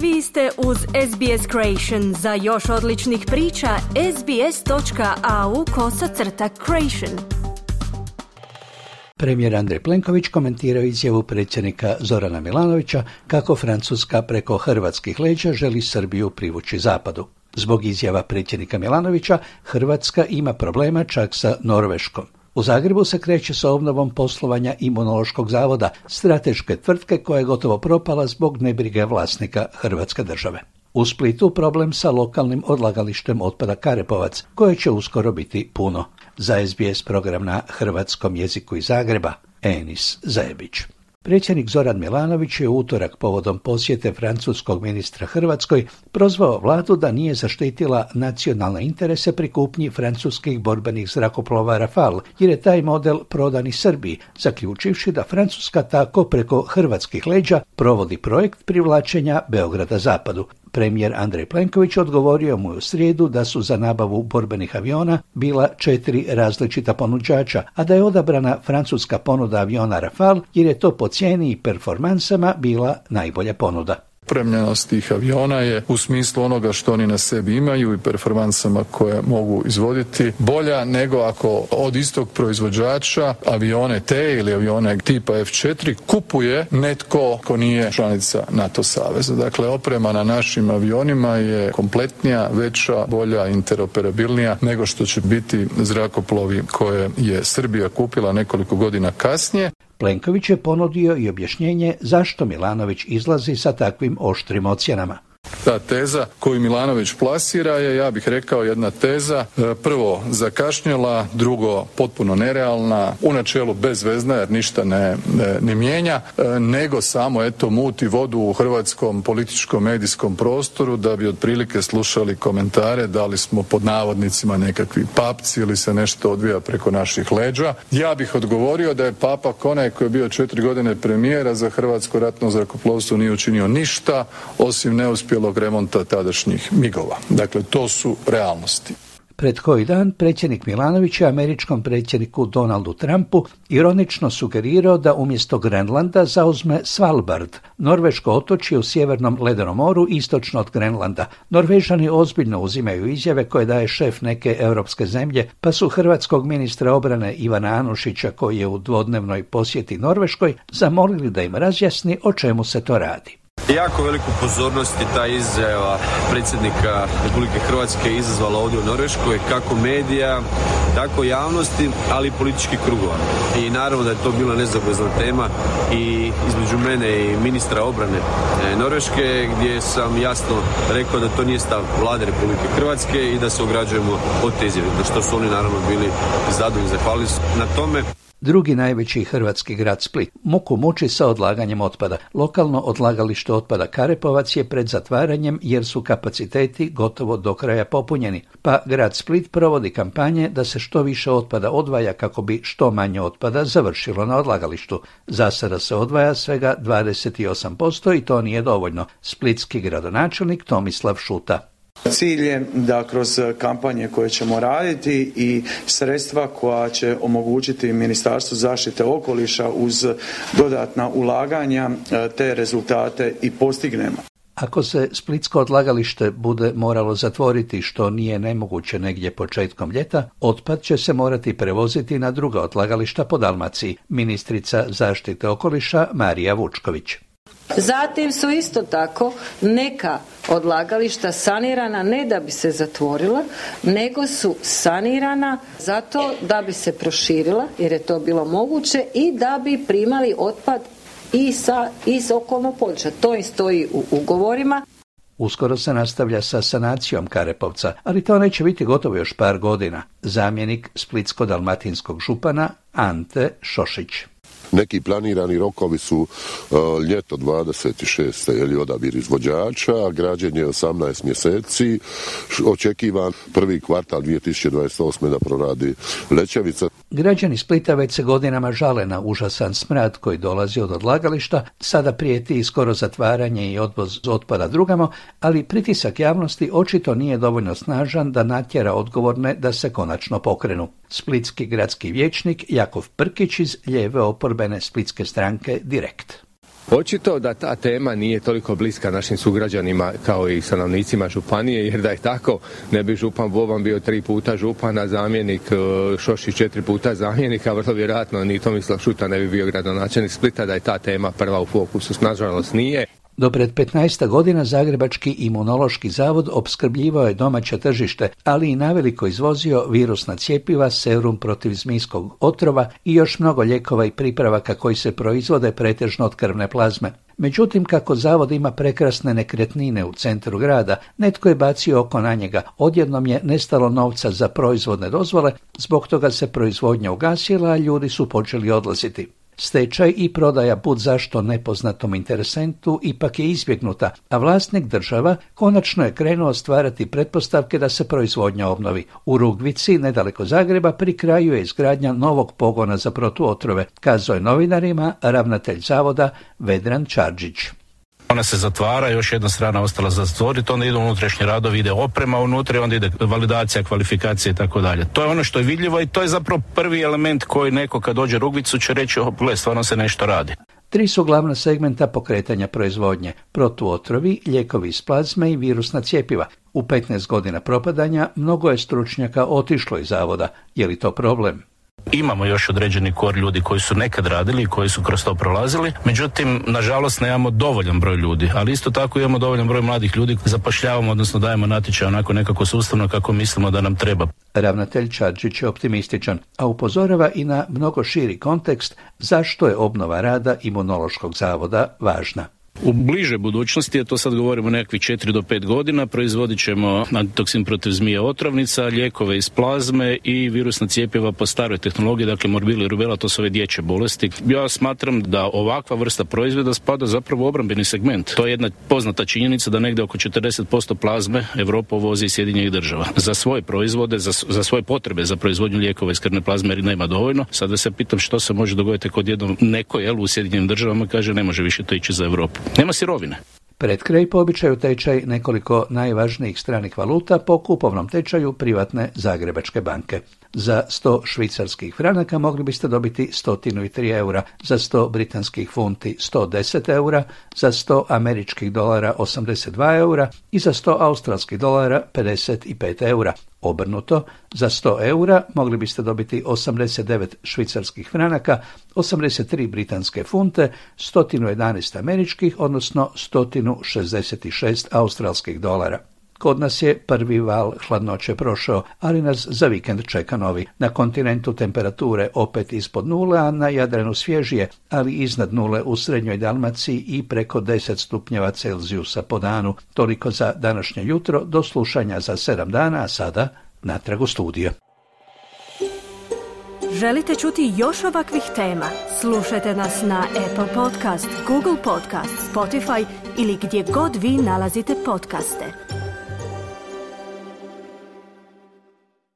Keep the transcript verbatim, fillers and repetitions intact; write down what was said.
Vi ste uz S B S Creation. Za još odličnih priča, sbs.au kosacrta creation. Premijer Andrej Plenković komentirao izjavu predsjednika Zorana Milanovića kako Francuska preko hrvatskih leđa želi Srbiju privući zapadu. Zbog izjava predsjednika Milanovića, Hrvatska ima problema čak sa Norveškom. U Zagrebu se kreće sa obnovom poslovanja Imunološkog zavoda, strateške tvrtke koja je gotovo propala zbog nebrige vlasnika Hrvatske države. U Splitu problem sa lokalnim odlagalištem otpada Karepovac, koje će uskoro biti puno. Za S B S program na hrvatskom jeziku iz Zagreba, Enis Zajebić. Predsjednik Zoran Milanović je u utorak povodom posjete francuskog ministra Hrvatskoj prozvao vladu da nije zaštitila nacionalne interese pri kupnji francuskih borbenih zrakoplova Rafale, jer je taj model prodan i Srbiji, zaključivši da Francuska tako preko hrvatskih leđa provodi projekt privlačenja Beograda zapadu. Premijer Andrej Plenković odgovorio mu u srijedu da su za nabavu borbenih aviona bila četiri različita ponuđača, a da je odabrana francuska ponuda aviona Rafale jer je to po cijeni i performansama bila najbolja ponuda. Opremljenost tih aviona je u smislu onoga što oni na sebi imaju i performansama koje mogu izvoditi bolja nego ako od istog proizvođača avione te ili avione tipa F četiri kupuje netko ko nije članica NATO saveza. Dakle, oprema na našim avionima je kompletnija, veća, bolja, interoperabilnija nego što će biti zrakoplovi koje je Srbija kupila nekoliko godina kasnije. Plenković je ponudio i objašnjenje zašto Milanović izlazi sa takvim oštrim ocjenama. Ta teza koju Milanović plasira je, ja bih rekao, jedna teza prvo zakašnjela, drugo potpuno nerealna, u načelu bezvezna jer ništa ne, ne, ne mijenja, nego samo eto muti vodu u hrvatskom političkom medijskom prostoru da bi otprilike slušali komentare da li smo pod navodnicima nekakvi papci ili se nešto odvija preko naših leđa. Ja bih odgovorio da je papak onaj koji je bio četiri godine premijera za hrvatsko ratno zrakoplovstvo nije učinio ništa osim neuspjelog remonta tadašnjih migova. Dakle, to su realnosti. Pred koji dan predsjednik Milanović je američkom predsjedniku Donaldu Trumpu ironično sugerirao da umjesto Grenlanda zauzme Svalbard, norveško otočje u sjevernom ledenom moru istočno od Grenlanda. Norvežani ozbiljno uzimaju izjave koje daje šef neke europske zemlje, pa su hrvatskog ministra obrane Ivana Anušića, koji je u dvodnevnoj posjeti Norveškoj, zamolili da im razjasni o čemu se to radi. Jako veliku pozornost je ta izjava predsjednika Republike Hrvatske izazvala ovdje u Norveškoj, kako medija, tako javnosti, ali i političkih krugova. I naravno da je to bila nezaobilazna tema i između mene i ministra obrane Norveške, gdje sam jasno rekao da to nije stav vlade Republike Hrvatske i da se ograđujemo od te izjave, za što su oni naravno bili zadovoljni, zahvalili na tome. Drugi najveći hrvatski grad Split muku muči sa odlaganjem otpada. Lokalno odlagalište otpada Karepovac je pred zatvaranjem jer su kapaciteti gotovo do kraja popunjeni, pa grad Split provodi kampanje da se što više otpada odvaja kako bi što manje otpada završilo na odlagalištu. Za sada se odvaja svega dvadeset osam posto i to nije dovoljno. Splitski gradonačelnik Tomislav Šuta. Cilj je da kroz kampanje koje ćemo raditi i sredstva koja će omogućiti Ministarstvu zaštite okoliša uz dodatna ulaganja te rezultate i postignemo. Ako se splitsko odlagalište bude moralo zatvoriti, što nije nemoguće negdje početkom ljeta, otpad će se morati prevoziti na druga odlagališta po Dalmaciji. Ministrica zaštite okoliša Marija Vučković. Zatim su isto tako neka odlagališta sanirana ne da bi se zatvorila, nego su sanirana zato da bi se proširila, jer je to bilo moguće, i da bi primali otpad i sa, iz okolnog područja. To i stoji u ugovorima. Uskoro se nastavlja sa sanacijom Karepovca, ali to neće biti gotovo još par godina. Zamjenik splitsko-dalmatinskog župana Ante Šošić. Neki planirani rokovi su uh, ljeto dvadeset šeste ili odabir izvođača, građenje osamnaest mjeseci, očekivan prvi kvartal dvije tisuće dvadeset osme da proradi Lećevica. Građani Splita već se godinama žale na užasan smrad koji dolazi od odlagališta, sada prijeti i skoro zatvaranje i odvoz otpada drugamo, ali pritisak javnosti očito nije dovoljno snažan da natjera odgovorne da se konačno pokrenu. Splitski gradski vijećnik Jakov Prkić iz lijeve oporbene splitske stranke Direkt. Očito da ta tema nije toliko bliska našim sugrađanima kao i stanovnicima županije, jer da je tako ne bi župan Boban bio tri puta župan, a zamjenik Šošić četiri puta zamjenik, a vrlo vjerojatno ni Tomislav Šuta ne bi bio gradonačelnik Splita da je ta tema prva u fokusu. Nažalost nije. Do pred petnaest godina Zagrebački imunološki zavod opskrbljivao je domaće tržište, ali i naveliko izvozio virusna cjepiva, serum protiv zmijskog otrova i još mnogo lijekova i pripravaka koji se proizvode pretežno od krvne plazme. Međutim, kako zavod ima prekrasne nekretnine u centru grada, netko je bacio oko na njega. Odjednom je nestalo novca za proizvodne dozvole, zbog toga se proizvodnja ugasila, a ljudi su počeli odlaziti. Stečaj i prodaja bud zašto nepoznatom interesentu ipak je izbjegnuta, a vlasnik država konačno je krenuo stvarati pretpostavke da se proizvodnja obnovi. U Rugvici, nedaleko Zagreba, pri kraju je izgradnja novog pogona za protuotrove, kazao je novinarima ravnatelj zavoda Vedran Čarđić. Ona se zatvara, još jedna strana ostala za zatvoriti, onda ide unutrašnji radovi, ide oprema unutra, onda ide validacija, kvalifikacija i tako dalje. To je ono što je vidljivo i to je zapravo prvi element koji neko kad dođe u Rugvicu će reći, oh, gle, stvarno se nešto radi. Tri su glavna segmenta pokretanja proizvodnje: protuotrovi, lijekovi iz plazme i virusna cjepiva. U petnaest godina propadanja mnogo je stručnjaka otišlo iz zavoda. Je li to problem? Imamo još određeni kor ljudi koji su nekad radili i koji su kroz to prolazili, međutim, nažalost, nemamo dovoljan broj ljudi, ali isto tako imamo dovoljan broj mladih ljudi, zapošljavamo, odnosno dajemo natječaj onako nekako sustavno kako mislimo da nam treba. Ravnatelj Čarđić je optimističan, a upozorava i na mnogo širi kontekst zašto je obnova rada Imunološkog zavoda važna. U bližoj budućnosti, a to sad govorimo nekakvih četiri do pet godina, proizvodit ćemo antitoksin protiv zmije otrovnica, lijekove iz plazme i virusna cjepiva po staroj tehnologiji, dakle morbili i rubela, to su ove dječje bolesti. Ja smatram da ovakva vrsta proizvoda spada zapravo u obrambeni segment. To je jedna poznata činjenica da negdje oko četrdeset posto plazme Europa uvozi iz Sjedinjenih država. Za svoje proizvode, za, za svoje potrebe za proizvodnju lijekova iz krvne plazme jer nema dovoljno. Sada se pitam što se može dogoditi kod jednom neko jel, u Sjedinjenim državama kaže ne može više to ići za Europu. Nema sirovine. Pred kraj po običaju tečaj nekoliko najvažnijih stranih valuta po kupovnom tečaju privatne Zagrebačke banke. Za sto švicarskih franaka mogli biste dobiti sto tri eura, za sto britanskih funti sto deset eura, za sto američkih dolara osamdeset dva eura i za sto australskih dolara pedeset pet eura. Obrnuto, za sto eura mogli biste dobiti osamdeset devet švicarskih franaka, osamdeset tri britanske funte, sto jedanaest američkih, odnosno sto šezdeset šest australskih dolara. Kod nas je prvi val hladnoće prošao, ali nas za vikend čeka novi. Na kontinentu temperature opet ispod nule, a na Jadranu svježije, ali iznad nule u srednjoj Dalmaciji i preko deset stupnjeva Celzijusa po danu. Toliko za današnje jutro, do slušanja za sedam dana, a sada natrag u studio. Želite čuti još ovakvih tema? Slušajte nas na Apple Podcast, Google Podcast, Spotify ili gdje god vi nalazite podcaste.